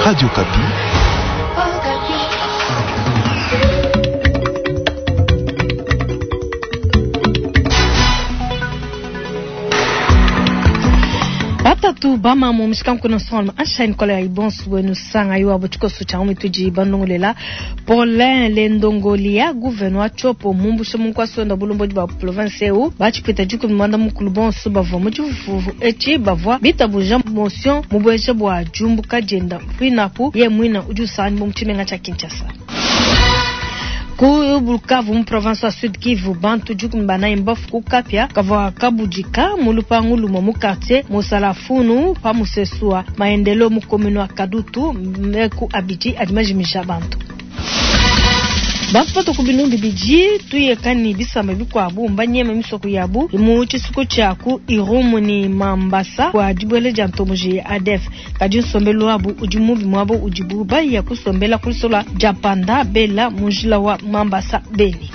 Radio Okapi. Batatu bamamu mishikanku nsonga anshain kola ya ibonsu wenu sanga yo abo tshikoso tsha mitudi bandongolela Paulin Lendongolia gouverneur wa Tshopo mumbushe munkwasi wenda bulombodi bua province eu batshipita dikumi muanda mukulu bonso bavua mu tshifufu etshi bavua bitabuja motion mubueja bua diumbuka dienda pinapu ye muina udi usanganyibua mu tshimenga tshia Kinshasa. Ku Bukavu mu province wa Sud Kivu bantu 14 mbafu ku kapia kavua kabudika mu lupangu lumue mu quartier Musalafunu pa musesu wa Maendeleo mu commune wa Kadutu meku abidi adi majimisha bantu. Bantu batua ku binunu bibidi tuyeka ne bisamba bikuabu mbanyeme misoko yabu mu tshisuku tshia ku Irumu ne Mambasa bua dibuela dia ntomboji ya ADF. Kadi nsombelu wabu udi mubi muaba udibu baya kusombela ku lusola dia Panda Bela mu njila wa Mambasa Beni.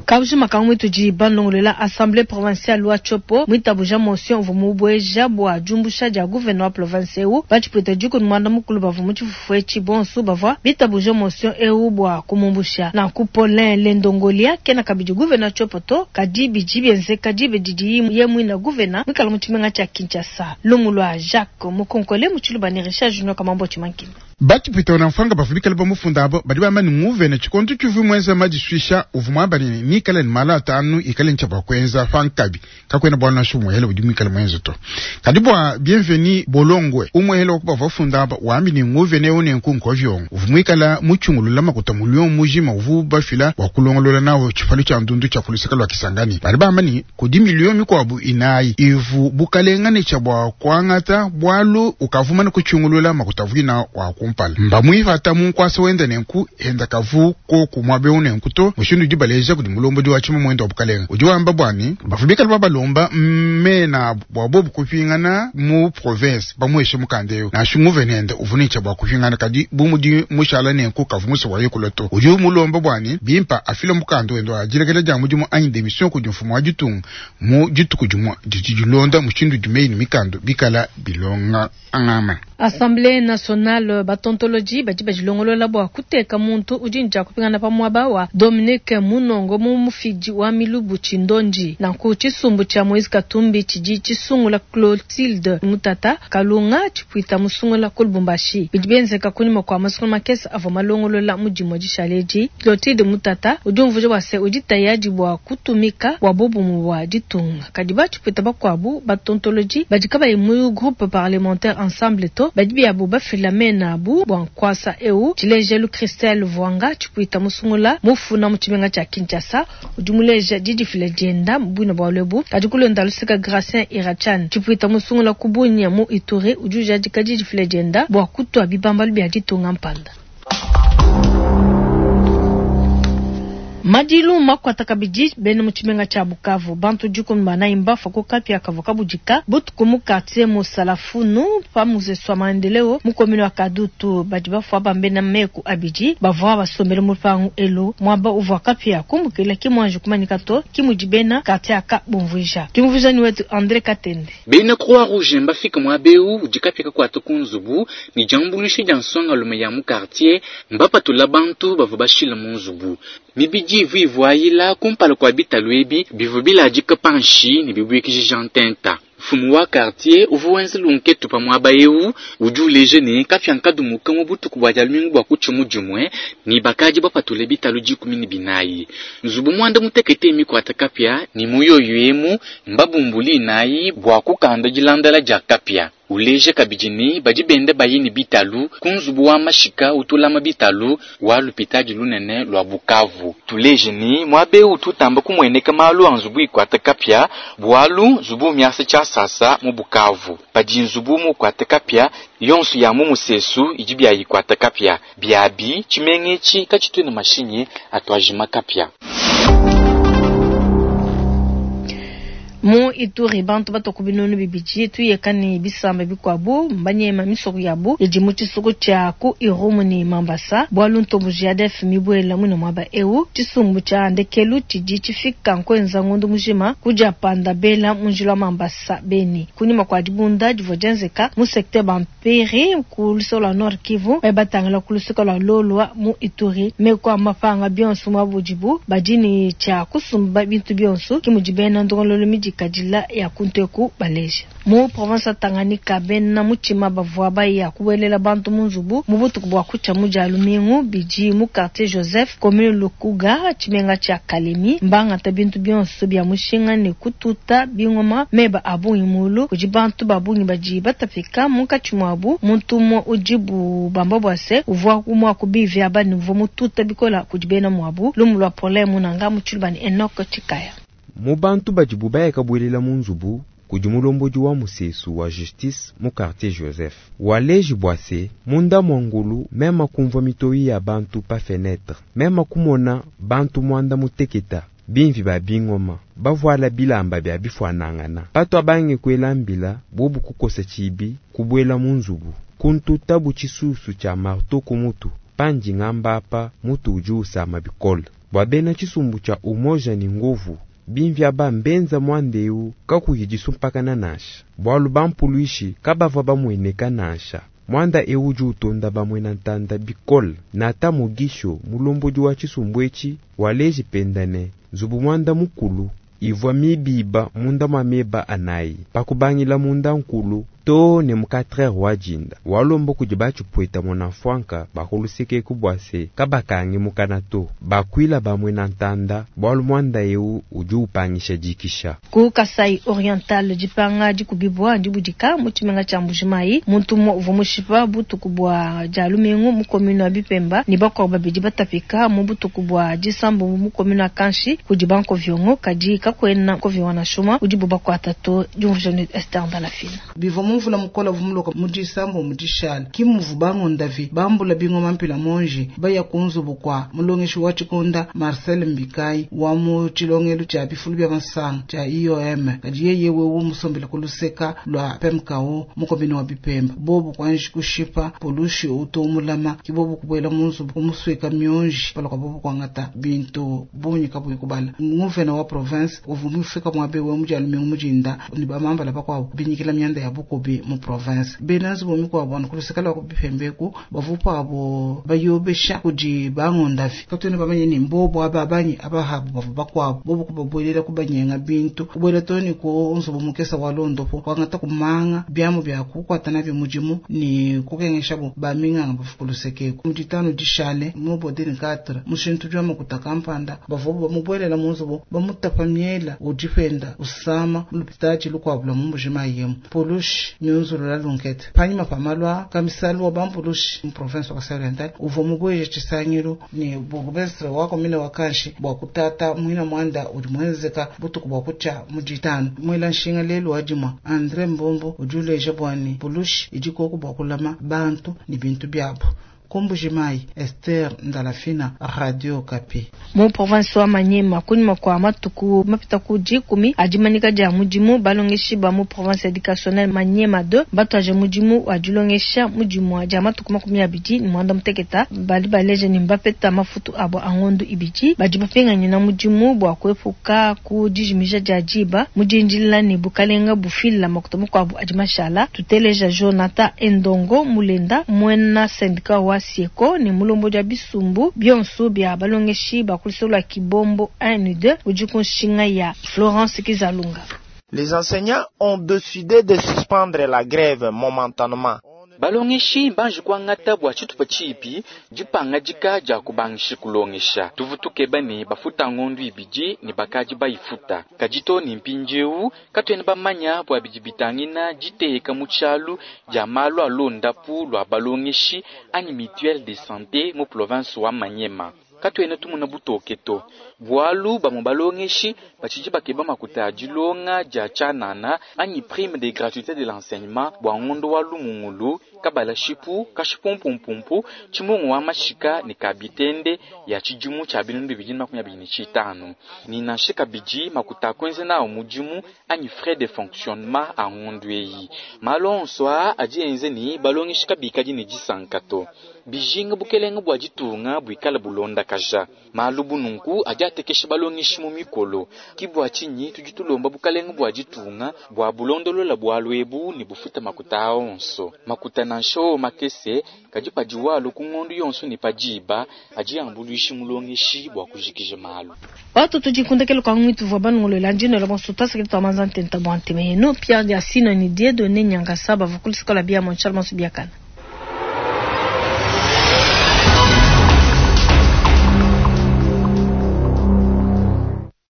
Kabujima ka mwitudi bandongolola Assemblée provinciale wa Tshopo mwitabuja motion uvua mubueja bua diumbusha dia gouverneur wa province eu batshipwita dikumi muanda mukulu bavua mu tshifufu etshi bonso bavua bitabuja motion eu bua kumumbusha. Nanku Paulin Lendongolia kena kabidi gouverneur Tshopo to, kadi bidi bienzeka diba didiye ye muina gouverneur muikala mu tshimenga tshia Kinshasa. Lumu lua Jacques Mukonkole mu Tshiluba ne Richard Junior Kamambo Tshimankina. Batshipwita na mfranga bavua bikale bamufunda abo badi bamba ne nguvena tshikondo tshivua muenza madisuisha uvua muamba ne mikale ne malu atanu ikale ne tshia bua kuenza pankabi kakuena bualu nansha bumue udi muikale muenze to. Kadi bua Bienvenu Bolongwe umuele wa ku bavua bafunda aba wambi ne nguvena eu nenku nkovyongo uvua muikala mutshungulula makuta mulio mujima uvua bafila bua kulongolola nawo tshipalu tshia ndundu tshia ku luseke lua Kisangani. Badi bamba ne kudi milio mikuabu inayi ivu bukalenga ne tshia bua kuangata bualu ukavuma ne kutshungulula makuta avuina wa kumpala. Mbamuipata mu nkuasa wenda nenku enda kavu koku muaba eu nenku to mushindu udi baleja kudi mulombodi wa tshima muenda wa bukalenga udi wamba bua ne bavua bikale babalomba mena bua bobu kupingana mu province bamueshe mukanda eu nansha nguvena uvua ne tshia bua kupingana kadi bu mudi mushala nenku kavu musa wa yekula to udi mulomba bua ne bimpa afile mukanda wenda wa dilekela dia mudimu anyi demission kudi mfumu wa ditunga mu dituku dimue didi dilonda mushindu udi meyi ne mikanda bikala bilonga angama. Assemblée nationale batontoloji badi badilongolola bua kuteka muntu udi ne tshia kupingana pa muaba wa Dominique Munongo mu mufidi wa milubu Tshindonji. Nanku tshisumbu tshia Moise Katumbi tshidi tshisungula Clotilde Mutata Kalunga tshipwita musungula ku Lubumbashi. Bidi bienzeka kunyima kua masungula makese avua malongolola mu dimue dishala edi. Clotilde Mutata udi umvuija bua se udi tayadi bua kutumika bua bobumue bua ditunga. Kadi batshipwita bakuabu batontoloji badi kabayi mu groupe parlementaire ensemble to badi biabu bafila mena abu bua nkuasa eu. Tshilejelu Christelle Vuanga tshipwita musungula mufuna mu tshimenga tshia Kinshasa udi muleja didifila dienda buina bua lwebu. Kadi kulonda luseka Gracien Irachan tshipwita musungula ku Bunia mu Ituri udi ujadika didifila dienda bua kutua bibambalu bia ditunga mpanda. Madilu makwata kabidi bena mu tshimenga tshia Bukavu bantu 14 mbafa ku kapia kavua kabudika butuku mu quartier Musalafunu pa musesu wa Maendeleo mu commune wa Kadutu. Badi bafua bambena meku abidi bavua basombele mu lupangu elu muaba uvua kapia kumbukila ki muanji kumanyika to ki mudi bena quartier aka bumvuija. Tumvuija ni wetu Andre Katende. Bena Croix Rouge mbafika muaba eu udi kapia kakuata ku nzubu ne diambuluisha dia nsongalume ya mu quartier mbapatula bantu bavua bashila mu nzubu. Mibidi ivu ivuayila kumpala kua bitalu ebi bivua biladika panshi ne bibuikidija ntenta. Mfumu wa quartier uvua wenza lunketu pa muaba eu udi uleja ne kapia nkadumuka mu butuku bua dia lumingu bua kutshia mu dimue ne bakadi bapatule bitalu 14. Nzubu muanda mutekete mikuata kapia ne muyoyo emu mbabumbuli inayi bua kukanda dilandala dia kapia. Uleja kabidi ne badi benda bayi ne bitalu ku nzubu wa mashika utulama bitalu wa lupitadi lunene lua Bukavu. Tuleje ne muaba eu tutamba kumueneka malu a nzubu ikuata kapia bualu nzubu miasa tshia sasa mu Bukavu. Padi nzubu mukuata kapia yonso ya mu musesu idi bia ikuata kapia biabi tshimenga etshi katshitu ne mashinyi atuajima kapia. Mu Ituri, bantu batua ku 2000 tuyeka ne bisamba bikuabu mbanyema misoko yabu idi mu tshisuku tshia ku Irumu ne Mambasa bualu ntomboji ya ADF mibuela muine muaba eu. Tshisumbu tshia ndekelu tshidi tshifika nkuenza ngondo mujima ku diapanda bela mu njila wa Mambasa Beni kunyima kua dibunda divua dienzeka mu secteur Bampiri ku luseke lua Nord Kivu baye batangila ku luseke lua Lolwa mu Ituri. Meku a mapanga bionso muaba udibu badi ne tshia kusumba bintu bionso, ke mudi bena ndongoluelu midikadila ya kuntu eku baleja. Mu province wa Tanganyika, bena mutshima bavua baya kubuelela bantu mu nzubu mu butuku bua kutshia mu dia lumingu bidi mu quartier Joseph, commune Lukuga, tshimenga tshia Kalemi, mbangata bintu bionso bia mushinga ne kututa bingoma meba a bungi mulu. Kudi bantu ba bungi badi batapika, munkatshi muabu muntu umue udibu bamba bua se uvua umue wa ku bivi aba ne uvua mututa bikola kudi bena muabu. Lumu lua Paulin Munanga mu Tshiluba ne Enoch Tshikaya. Mu bantu badibu baya kabuelela mu nzubu kudi mulombodi wa musesu wa justice mu quartier Joseph. Waleji bua se munda mua ngulu mema kumvua mitoyi ya bantu pa fenetre, mema kumona bantu muanda muteketa bimvi ba bingoma bavuala bilamba bia bifuanangana. Patu abange kuela mbila bobu kukosa tshibi kubuela mu nzubu kuntuta bu tshisusu tshia marteau ku mutu pandi ngamba apa mutu udi usama bikole. Bua bena tshisumbu tshia Umoja ni Nguvu bimvi aba mbenza muanda eu kakuyi disumpakana nansha bualu bampuluishi kabavua bamueneka nansha. Muanda eu udi utonda bamue ntanda bikole nata mugisho mulombodi wa tshisumbu etshi waleji penda ne nzubu muanda mukulu ivua mibiba munda mua meba anayi pakubangila munda nkulu to ne mu 4 wa dinda walomba kudi batshipweta mona mfwanka bakuluseke bua se kabakangi mukana to bakwila bamue na ntanda bualu muanda eu udi upangisha dikisha. Ku Kasai Oriental dipanga dikubibwa dibudika mu tshimenga tshia Mbujimayi muntu umue uvua mushipa butuku bua dia lumingu mu commune wa Bipemba ne bakuabu babidi batapika mu butuku bua disambombo mu commune wa Kanshi kudi bankoviongo kadi kakuena nkoviongo nansha umue udibu bakuata to. Diumvuija ne Esther Ndalafina. Bivua mu mvula mukola uvua muloka mu disambombo mu dishala ki muvu bangondavi bambula bingoma mpila monji baya ku nzubu kua mulongeshi wa tshikonda Marcel Mbikai wa mu tshilongelu tshia bifulu bia masanga tshia IOM kadi yeye wewe musombela ku luseka lua PMKO mu commune wa Bipemba bobu kuanji kushipa polushi utu mulama ki bobu kubuela mu nzubu kumusweka mionji pala kwa bobu kuangata bintu bungi kabuyi kubala. Nguvena wa province uvua mufika muabe we mudia lumingu mudinda ni bamambala bakuabu binyikila mianda ya bukubi mu province. Bena nzubu mikuabu anu kuluseka lua ku Bipembeku bavupa abo bayobesha kudi bangondavi katuena bamanye ni mbobo aba banyi abahabu bavu bakuabu bobu kubabuelela kubanyenga bintu kubuela to ni ku nzubu mukesa wa londopo kuangata kumanga biamu bia kukuata nabio mudimu ni kukengesha bo baminganga bavu kulusekeku. Muditanu dishale mu bodeni 4 mushintu jwa makuta kampanda bavu bamubuelela mu nzubu bamutapa miela udipenda usama mulupitaji lukuabu lua mu Mbujimayi yemu. Polushi miunzulu la lunkete panyima pa malwa kamisalu wa bampulushi mu province wa Kasai Oriental uvua mubueje tshisangilu ne bourgmestre wa commune wa Kanshi bua kutata muina muanda udi muenzeka butuku bua kutshia mu ditanu. Muela nshinga lelu wa dimua Andre Mbombo udi uleja bua ne polushi idi koku bua kulama bantu ne bintu biabu. Ku Mbujimayi, Esther Ndalafina, Radio Okapi. Mu province wa Maniema kunyima kua matuku mapita ku dikumi a dimanyika dia mudimu, balongeshi ba mu province educationnelle Maniema 2 batuaje mudimu wa dilongesha mu dimua dia matuku 28. Badi baleja ne mbapeta mafutu abo a ngondo ibidi. Badi bapinganyina mudimu bua kuepuka ku dijimija dia diba mu dindila ne bukalenga bufila makuta makuabu adi mashala. Tuteleja Jonathan Endongo Mulenda muena syndicat wa Sieko ne mulombodi wa bisumbu bionso bia balongeshi ba ku luseke lua Kibombo 1 ne 2 udi ku nshinga ya Florence Kizalunga. Les enseignants ont décidé de suspendre la grève momentanément. Balongeshi banji kuangata bua tshitupa tshipi dipangadika dia kubangisha kulongesha. Tuvu tukeba ne bafuta ngondu ibidi ne bakadi bayifuta. Kadi to ne mpindieu katuena bamanya bua bidi bitangina diteka mu tshialu dia malu a londapu lua balongeshi anyi mutuelle de santé mu province wa Maniema. Katuena tumona butoke to bualu bamue balongeshi batshidi bakeba makuta a dilonga dia tshianana anyi prime de gratuité de l'enseignement bua ngondo wa lumungulu Kabalashipu, Kashipumpumpumpu, Tshimungu wa mashika ne Kabitende ya tshidimu tshia 2025. Ni nansha kabidi makuta a kuenza nawu mudimu anyi frais de fonctionnement a ngondu eyi. Malu onso aa adi enza ne balongeshi kabikadi ne disanka to. Bijinga bukelenge bua ditunga buikala bulondakaja. Malu bu nunku adi atekesha balongeshi mu mikolo. Ki bua tshinyi tudi tulomba bukalenge bua ditunga bua bulondolola bualu ebu ne bufuta makuta aa onso. Makuta nansha wowo makese, kadi padiwu alua ku ngondu yonso ne pa diba, adi ambuluisha mulongeshi bua kujikija malu. Watu tudi kundekelu kua nguitu vua banongolola ndino bonso tuasakidi tua manza ntenta bua ntema yenu Pierre Diasino ni Dieudonné Nyangasa bavua ku luseke lua bia Montshal Monso biakana.